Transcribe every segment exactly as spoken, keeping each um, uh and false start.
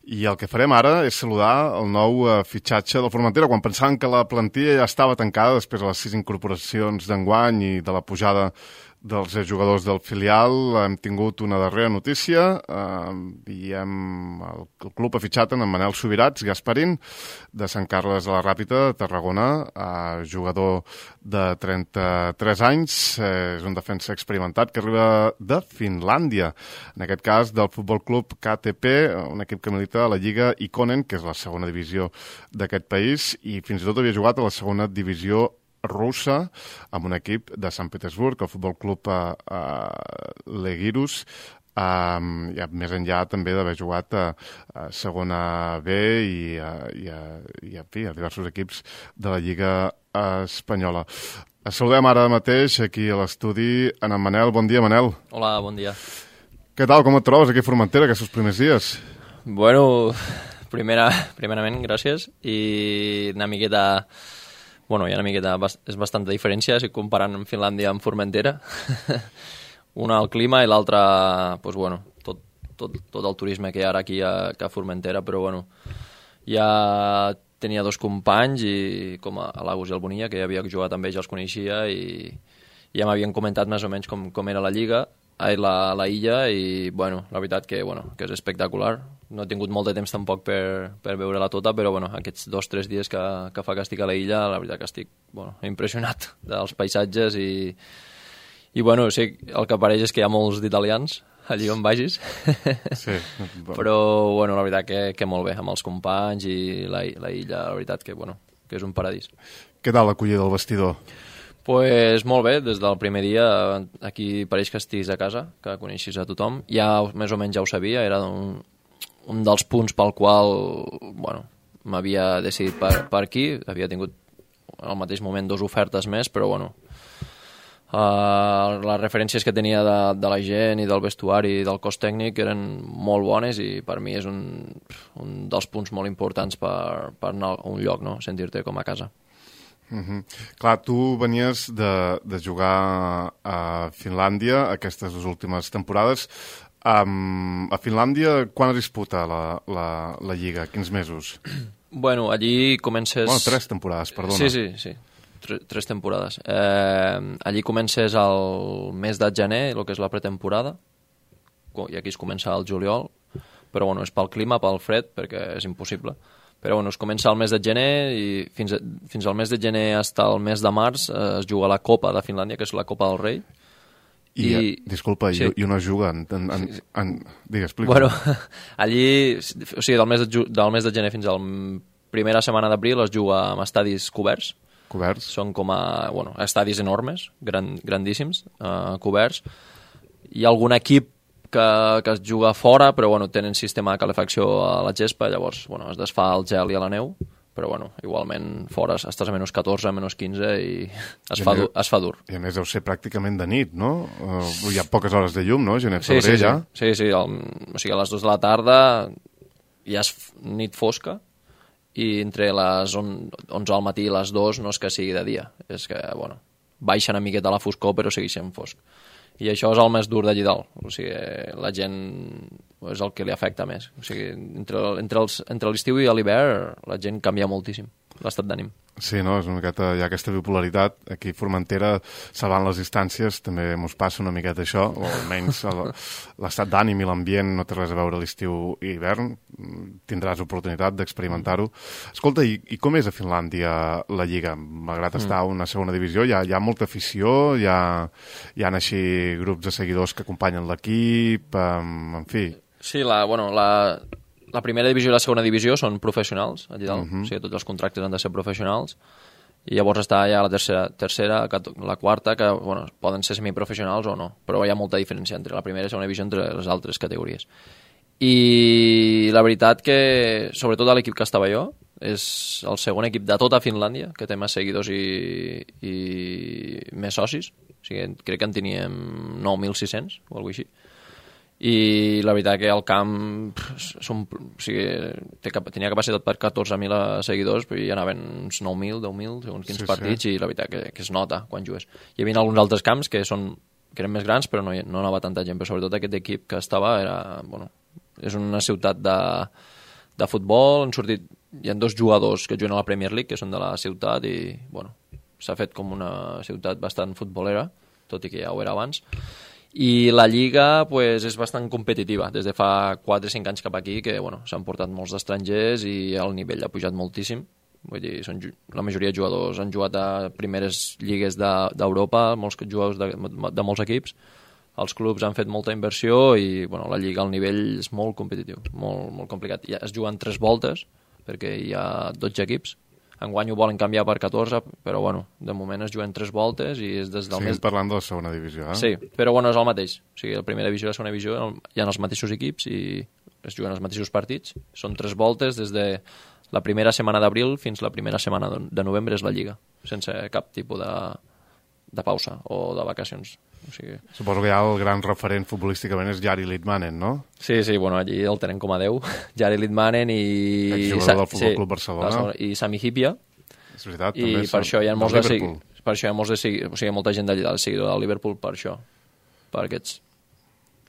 I el que farem ara és saludar el nou uh, fitxatge del Formentera, quan pensàvem que la plantilla ja estava tancada després de les sis incorporacions d'enguany i de la pujada dels jugadors del filial. Hem tingut una darrera notícia eh, i hem, el, el club ha fitxat en Manel Subirats Gasparín de Sant Carles de la Ràpita de Tarragona, eh, jugador de trenta-tres anys, eh, és un defensa experimentat que arriba de Finlàndia, en aquest cas del Futbol Club K T P, un equip que milita a la Lliga Ikonen, que és la segona divisió d'aquest país, i fins i tot havia jugat a la segona divisió russa amb un equip de Sant Petersburg, el Futbol Club uh, uh, Legirus, um, i més enllà també d'haver jugat a, a segona B i, a, i, a, i a, fi, a diversos equips de la Lliga espanyola. Saludem ara mateix aquí a l'estudi en en Manel. Bon dia, Manel. Hola, bon dia. Què tal, com et trobes aquí a Formentera aquests primers dies? Bueno, primera, primerament, gràcies, i una miqueta... Bueno, hi ha una miqueta, és bastanta diferència si comparant amb Finlàndia amb Formentera. Una al clima i l'altra, pues bueno, tot, tot, tot el turisme que hi ha ara aquí a, a Formentera, però bueno, ja tenia dos companys, i com a l'Agus i el Bonilla, que ja havia jugat amb ells, els coneixia, i ja m'havien comentat més o menys com, com era la lliga, ai, la, la illa, i bueno, la veritat que, bueno, que és espectacular. No he tingut molt de temps tampoc per, per veure-la tota, però bueno, aquests dos o tres dies que, que fa que estic a la illa, la veritat que estic bueno, impressionat dels paisatges, i, i bueno, sí, el que apareix és que hi ha molts d'italians allí on vagis, sí, bueno. Però bueno, la veritat que, que molt bé, amb els companys i la, la illa, la veritat que, bueno, que és un paradís. Què tal l'acollida del vestidor? Pues molt bé, des del primer dia aquí pareix que estiguis a casa, que coneixis a tothom. Ja més o menys ja ho sabia, era un, un dels punts pel qual bueno, m'havia decidit per, per aquí. Havia tingut al mateix moment dues ofertes més, però bueno, uh, les referències que tenia de, de la gent i del vestuari i del cos tècnic eren molt bones, i per mi és un, un dels punts molt importants per, per anar a un lloc, no? Sentir-te com a casa. Uh-huh. Clar, tu venies de, de jugar a Finlàndia aquestes dues últimes temporades. Um, a Finlàndia, quan es disputa la, la, la Lliga? Quins mesos? Bueno, allí comences... Bueno, tres temporades, perdona. Sí, sí, sí. Tres, tres temporades. Eh, allí comences al mes de gener, el que és la pretemporada, i aquí es comença al juliol, però bueno, és pel clima, pel fred, perquè és impossible. Però bueno, es comença al mes de gener, i fins, a, fins al mes de gener fins al mes de març eh, es juga la Copa de Finlàndia, que és la Copa del Rei. I, I disculpa, sí. i, i on es juga? En, en, en, en... Digues, explica. Bueno, allí, o sigui, del mes de, del mes de gener fins a la primera setmana d'abril es juga amb estadis coberts. Coberts? Són com a, bueno, estadis enormes, gran, grandíssims, eh, coberts. Hi ha algun equip que, que es juga fora, però bueno, tenen sistema de calefacció a la gespa, llavors bueno, es desfà el gel i a la neu, però bueno, igualment fora estàs a menys catorze, menys quinze, i es, I fa, dur, es fa dur. I a més deu ser pràcticament de nit, no? Uh, hi ha poques hores de llum, no? Gener, sí, febrer, sí, ja? Sí, sí, sí el, o sigui, a les dues de la tarda ja és nit fosca, i entre les onze al matí i les dues no és que sigui de dia, és que, bueno, baixa una miqueta la foscor, però segueix sent fosc. I això és el més dur d'allí dalt, o sigui, la gent és el que li afecta més. O sigui, entre, entre, els, entre l'estiu i l'hivern la gent canvia moltíssim l'estat d'ànim. Sí, no? És una miqueta, hi ha aquesta bipolaritat. Aquí a Formentera, salvant les distàncies, també mos passa una miqueta això, o almenys l'estat d'ànim i l'ambient no té res a veure l'estiu i hivern. Tindràs oportunitat d'experimentar-ho. Escolta, i, i com és a Finlàndia la Lliga? Malgrat estar a una segona divisió, hi ha, hi ha molta afició, hi ha, hi ha així grups de seguidors que acompanyen l'equip, en, en fi... Sí, la, bueno, la... La primera divisió i la segona divisió són professionals, allà dalt. Uh-huh. O sigui, tots els contractes han de ser professionals. I llavors està ja la tercera, tercera la quarta, que bueno, poden ser semiprofessionals o no, però hi ha molta diferència entre la primera i la segona divisió entre les altres categories. I la veritat que, sobretot a l'equip que estava jo, és el segon equip de tota Finlàndia, que té més seguidors i, i més socis. O sigui, crec que en teníem nou mil sis-cents o alguna cosa així. I la veritat que el camp som, o sigui, té, tenia capacitat per catorze mil seguidors, però hi anaven uns nou mil, deu mil, segons quins sí, partits, sí. I la veritat que, que es nota quan jugues. Hi havia alguns altres camps que, són, que eren més grans, però no, no anava tanta gent, però sobretot aquest equip que estava era, bueno, és una ciutat de, de futbol, han sortit, hi ha dos jugadors que juguen a la Premier League, que són de la ciutat, i bueno, s'ha fet com una ciutat bastant futbolera, tot i que ja ho era abans. I la Lliga pues, és bastant competitiva, des de fa quatre o cinc anys cap aquí, que bueno, s'han portat molts estrangers i el nivell ha pujat moltíssim. Vull dir, són, la majoria de jugadors han jugat a primeres lligues d'Europa, de, molts jugadors de, de molts equips. Els clubs han fet molta inversió i bueno, la Lliga, el nivell és molt competitiu, molt, molt complicat. Ja es juguen tres voltes, perquè hi ha dotze equips. Enguany ho volen canviar per catorze, però bueno, de moment es juguen tres voltes i és des del Seguim mes... parlant de la segona divisió, eh? Sí, però bueno, és el mateix. O sigui, la primera divisió i la segona divisió hi ha els mateixos equips i es juguen els mateixos partits. Són tres voltes des de la primera setmana d'abril fins la primera setmana de novembre és la Lliga, sense cap tipus de, de pausa o de vacacions. O sigui... Suposo que ja el gran referent futbolísticament és Jari Litmanen, no? Sí, sí, bueno, allí el tenen com a Déu. Jari Litmanen i... Exjugador del Futbol Club Barcelona. I Sami Hyypiä. És veritat, I també. per això hi ha molts de segui... per això hi ha molts de segui... o sigui, molta gent d'allà del seguidor del Liverpool per això, per aquests.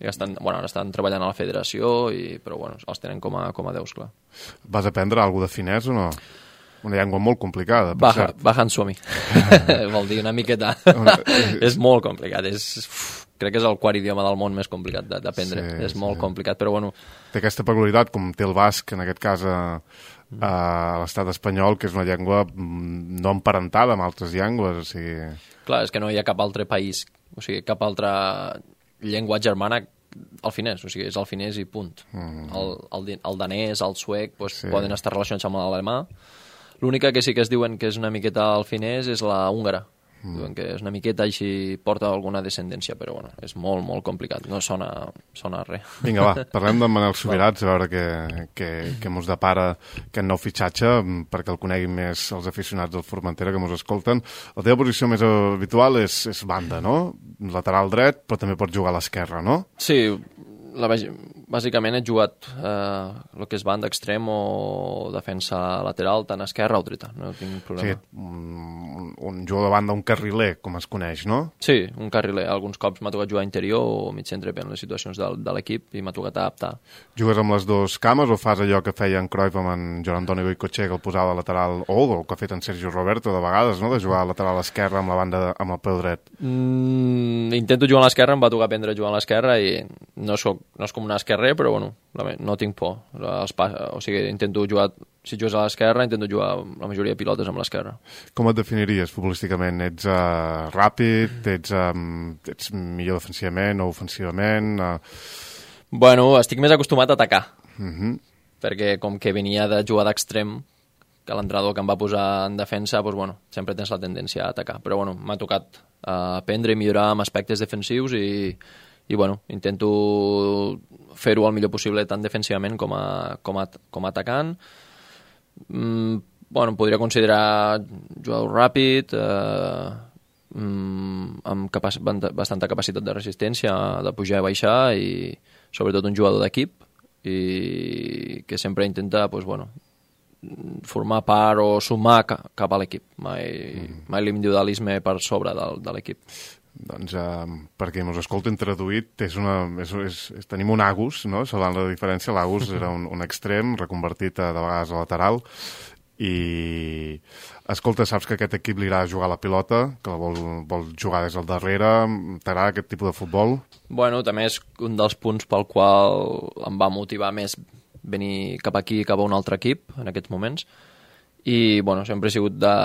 I estan, bueno, estan treballant a la federació, i, però bueno, els tenen com a, com a déus, clar. Vas aprendre alguna de finès o no? Una llengua molt complicada, per Baja, cert. Bajan Suomi. Vol dir una miqueta. És molt complicat. És, uf, crec que és el quart idioma del món més complicat d'aprendre. Sí, és molt sí. complicat, però bueno... Té aquesta peculiaritat, com té el basc, en aquest cas a, a l'estat espanyol, que és una llengua no emparentada amb altres llengües, o sigui... Clar, és que no hi ha cap altre país, o sigui, cap altra llengua germana el finès, o sigui, és el finès i punt. Mm. El, el, el danès, el suec, doncs, sí. poden estar relacionats amb l'alemà. L'única que sí que es diuen que és una miqueta el finès és la húngara. Mm. Diuen que és una miqueta així, porta alguna descendència, però bueno, és molt, molt complicat, no sona, sona res. Vinga, va, parlem d'en Manel Subirats, a veure què, què, què mos depara aquest nou fitxatge, perquè el coneguin més els aficionats del Formentera que mos escolten. La teva posició més habitual és, és banda, no? Lateral dret, però també pots jugar a l'esquerra, no? Sí, la, bàsicament he jugat eh, el que és banda extrem o defensa lateral, tant esquerra o dreta, no tinc problema. Sí, un, un jugador de banda, un carriler, com es coneix, no? Sí, un carriler. Alguns cops m'ha tocat jugar interior o mig centre en les situacions de, de l'equip i m'ha tocat adaptar. Jugues amb les dues cames o fas allò que feia en Cruyff amb en Joan Antoni Goicoechea, que el posava a lateral, o el que ha fet en Sergio Roberto de vegades, no? De jugar a lateral esquerra amb la banda de, amb el peu dret? Mm, intento jugar a l'esquerra, em va tocar aprendre a jugar a l'esquerra i no soc no és com un esquerrer, però bueno, no tinc por. Els pas, o sigui, intento jugar, si jugues a l'esquerra, intento jugar la majoria de pilotes amb l'esquerra. Com et definiries futbolísticament? Ets uh, ràpid? Ets, um, ets millor defensivament o ofensivament? Uh... Bueno, estic més acostumat a atacar. Uh -huh. Perquè com que venia de jugar d'extrem, que l'entrenador que em va posar en defensa, doncs, bueno, sempre tens la tendència a atacar. Però bueno, m'ha tocat uh, aprendre i millorar amb aspectes defensius i i bueno, intento fer-ho el millor possible tant defensivament com a, com a, com a atacant. Mm, bueno, em podria considerar jugador ràpid, eh, mm, amb capac bastanta capacitat de resistència, de pujar i baixar, i sobretot un jugador d'equip i que sempre intenta pues, bueno, formar part o sumar cap a l'equip. Mai, mm. mai l'individualisme per sobre del, de l'equip. Doncs, uh, perquè mos escolten traduït, és una, és, és, és, tenim un Agus, no? Salvant la diferència, l'Agus era un, un extrem, reconvertit a, de vegades a lateral, i, escolta, saps que aquest equip li agrada jugar a la pilota, que la vol, vol jugar des del darrere, t'agrada aquest tipus de futbol? Bueno, també és un dels punts pel qual em va motivar més venir cap aquí, cap a un altre equip, en aquests moments, i, bueno, sempre he sigut de...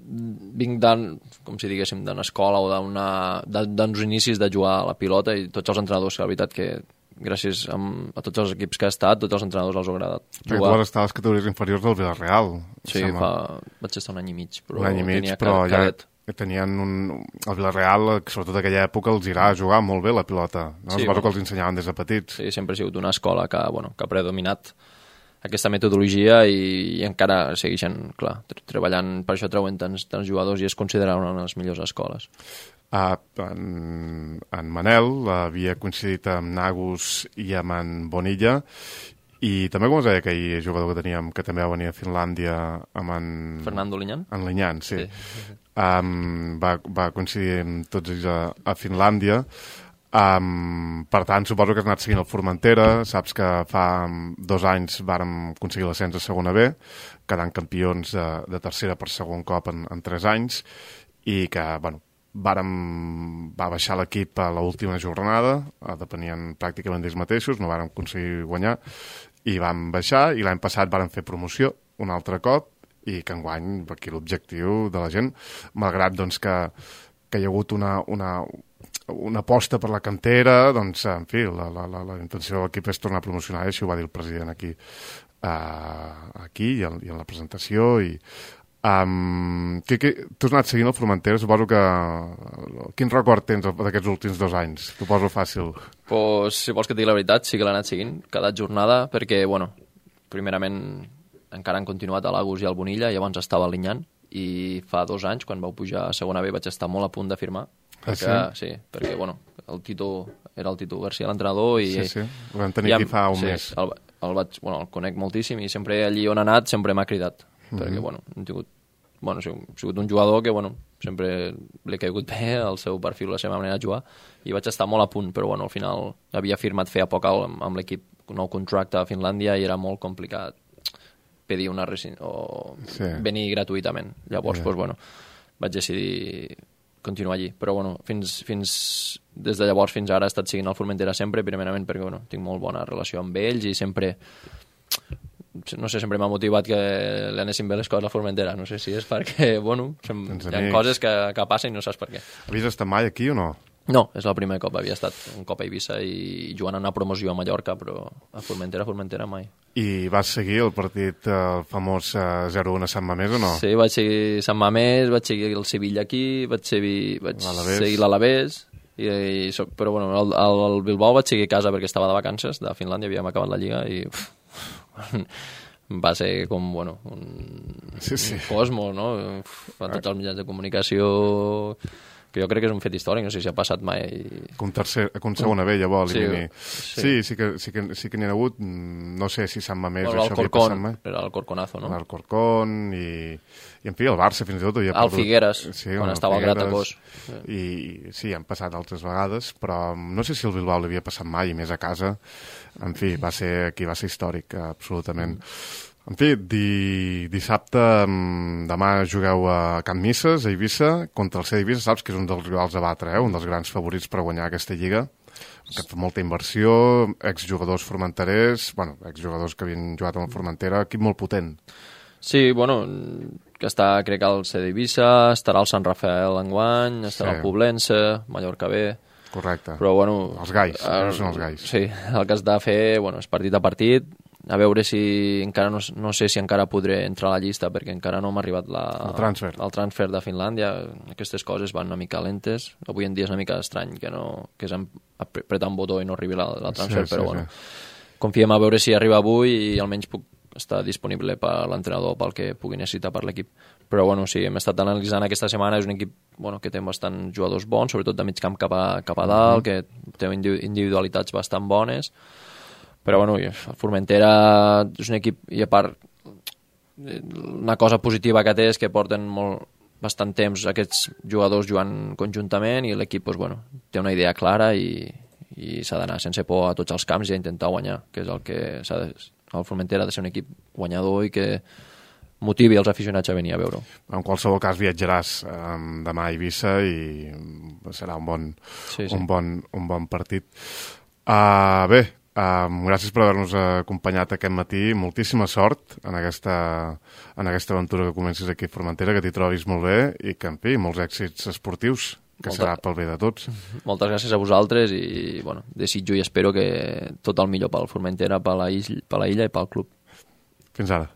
vinc d'un, com si diguéssim, d'una escola o d'uns inicis de jugar a la pilota, i tots els entrenadors, que la veritat que gràcies a, a tots els equips que ha estat, tots els entrenadors els ha agradat jugar. Perquè tu vas estar a les categories inferiors del Villarreal. Sí, fa, vaig estar un any i mig, però un any i mig, tenia però cadet. Ja tenien un... El Villarreal, sobretot en aquella època, els irà a jugar molt bé la pilota. No? Sí, Suposo bueno, que els ensenyaven des de petits. Sí, sempre ha sigut una escola que, bueno, que ha predominat aquesta metodologia i, i encara segueixen, clar, treballant, per això treuen tants, tants jugadors i es considera una de les millors escoles. Uh, en, en Manel havia coincidit amb Nagus i amb en Bonilla, i també, com us deia, aquell jugador que teníem, que també va venir a Finlàndia, amb en... Fernando Liñán? En Liñán, sí. sí. Um, va, va coincidir amb tots ells a, a Finlàndia. Um, per tant, suposo que has anat seguint el Formentera, saps que fa dos anys vàrem aconseguir l'ascens a segona B, quedant campions de, de tercera per segon cop en, en tres anys, i que, bueno, vàrem, va baixar l'equip a l'última jornada, depenien pràcticament d'ells mateixos, no vàrem aconseguir guanyar, i vam baixar, i l'any passat vàrem fer promoció un altre cop, i que enguany, aquí l'objectiu de la gent, malgrat doncs, que, que hi ha hagut una... una una aposta per la cantera, doncs, en fi, la, la, la, la intenció de l'equip és tornar a promocionar, i així ho va dir el president aquí, uh, aquí i en, i en la presentació. I, um, que, que, tu has anat seguint el Formentera, suposo que... Quin record tens d'aquests últims dos anys? T'ho poso fàcil. Pues, si vols que et digui la veritat, sí que l'he anat seguint cada jornada, perquè, bueno, primerament encara han continuat a l'Agus i al Bonilla, llavors estava a l'Inyant, i fa dos anys, quan vau pujar a segona B, vaig estar molt a punt de firmar. Perquè, ah, sí? sí, perquè, bueno, el Tito, era el Tito García l'entrenador i... Sí, sí, ho vam tenir aquí fa un sí, mes. El, el, vaig, bueno, el conec moltíssim i sempre allí on ha anat sempre m'ha cridat, mm-hmm. perquè, bueno, hem tingut, bueno, he sigut un jugador que, bueno, sempre li ha caigut bé el seu perfil, la seva manera de jugar, i vaig estar molt a punt, però, bueno, al final havia firmat feia poc amb, amb l'equip, un nou contracte a Finlàndia i era molt complicat pedir una resin... o sí. venir gratuïtament. Llavors, yeah. doncs, bueno, vaig decidir continuar allí, però bueno, fins, fins, des de llavors fins ara he estat seguint el Formentera sempre, primerament perquè bueno, tinc molt bona relació amb ells i sempre, no sé, sempre m'ha motivat que li anessin bé les coses a Formentera, no sé si és perquè, bueno, sem... hi ha coses que, que passen i no saps per què. Havies estat mai aquí o no? No, és el primer cop, havia estat un cop a Eivissa i jugant a una promoció a Mallorca, però a Formentera, Formentera mai. I vas seguir el partit, el famós zero un a Sant Mamés o no? Sí, vaig seguir Sant Mamés, vaig seguir el Sevilla aquí, vaig seguir, vaig seguir l'Alavés, i, i, però bueno, el, el Bilbao vaig seguir a casa perquè estava de vacances de Finlàndia, havíem acabat la lliga i uf, va ser com, bueno, un, sí, sí. un cosmos, no? Uf, a tots els mitjans de comunicació... que jo crec que és un fet històric, no sé si ha passat mai... Com, tercer, com segona B, llavors, sí, sí. sí, sí que, sí que, sí que n'hi ha hagut, no sé si Sant Mamés bueno, això havia passat mai. Era el Corconazo, no? El Corcón i, i en fi, el Barça fins i tot... El perdut. Figueres, sí, quan estava al Gratacós. I sí, han passat altres vegades, però no sé si el Bilbao l'havia passat mai, i més a casa. En fi, va ser, aquí va ser històric, absolutament. Mm. En fi, di, dissabte, demà jugueu a Can Misses, a Eivissa, contra el C D Eivissa, saps que és un dels rivals a batre, eh? Un dels grans favorits per guanyar aquesta lliga, que fa molta inversió, exjugadors formenterers, bueno, exjugadors que havien jugat amb el Formentera, equip molt potent. Sí, bueno, que està, crec que el C D Eivissa, estarà el Sant Rafael enguany, estarà sí. el Poblense, Mallorca B... Correcte, però, bueno, els gais, el, són els gais. Sí, el que has de fer, bueno, és partit a partit, a veure si encara no, no sé si encara podré entrar a la llista perquè encara no m'ha arribat la, el, transfer. el transfer de Finlàndia. Aquestes coses van una mica lentes. Avui en dia és una mica estrany que, no, que és apretar un botó i no arribi la, la transfer, sí, però sí, bueno, sí. confiem a veure si arriba avui i almenys puc estar disponible per l'entrenador pel que pugui necessitar per l'equip. Però bueno, sí, hem estat analitzant aquesta setmana, és un equip bueno, que té bastant jugadors bons, sobretot de mig camp cap a, cap a dalt, mm -hmm. que té individualitats bastant bones. Però bueno, el Formentera és un equip, i a part una cosa positiva que té és que porten molt, bastant temps aquests jugadors jugant conjuntament i l'equip doncs, bueno, té una idea clara i, i s'ha d'anar sense por a tots els camps i a intentar guanyar, que és el que s'ha de, el Formentera ha de ser un equip guanyador i que motivi els aficionats a venir a veure-ho. En qualsevol cas viatjaràs eh, demà a Eivissa i serà un bon, sí, sí. Un bon, un bon partit. Uh, bé, Um, gràcies per haver-nos acompanyat aquest matí. Moltíssima sort en aquesta, en aquesta aventura que comencis aquí a Formentera, que t'hi trobis molt bé i que, en fi, molts èxits esportius, que Molta... serà pel bé de tots. Moltes gràcies a vosaltres i, bueno, desitjo i espero que tot el millor pel Formentera, per la, illa, per la illa i pel club. Fins ara.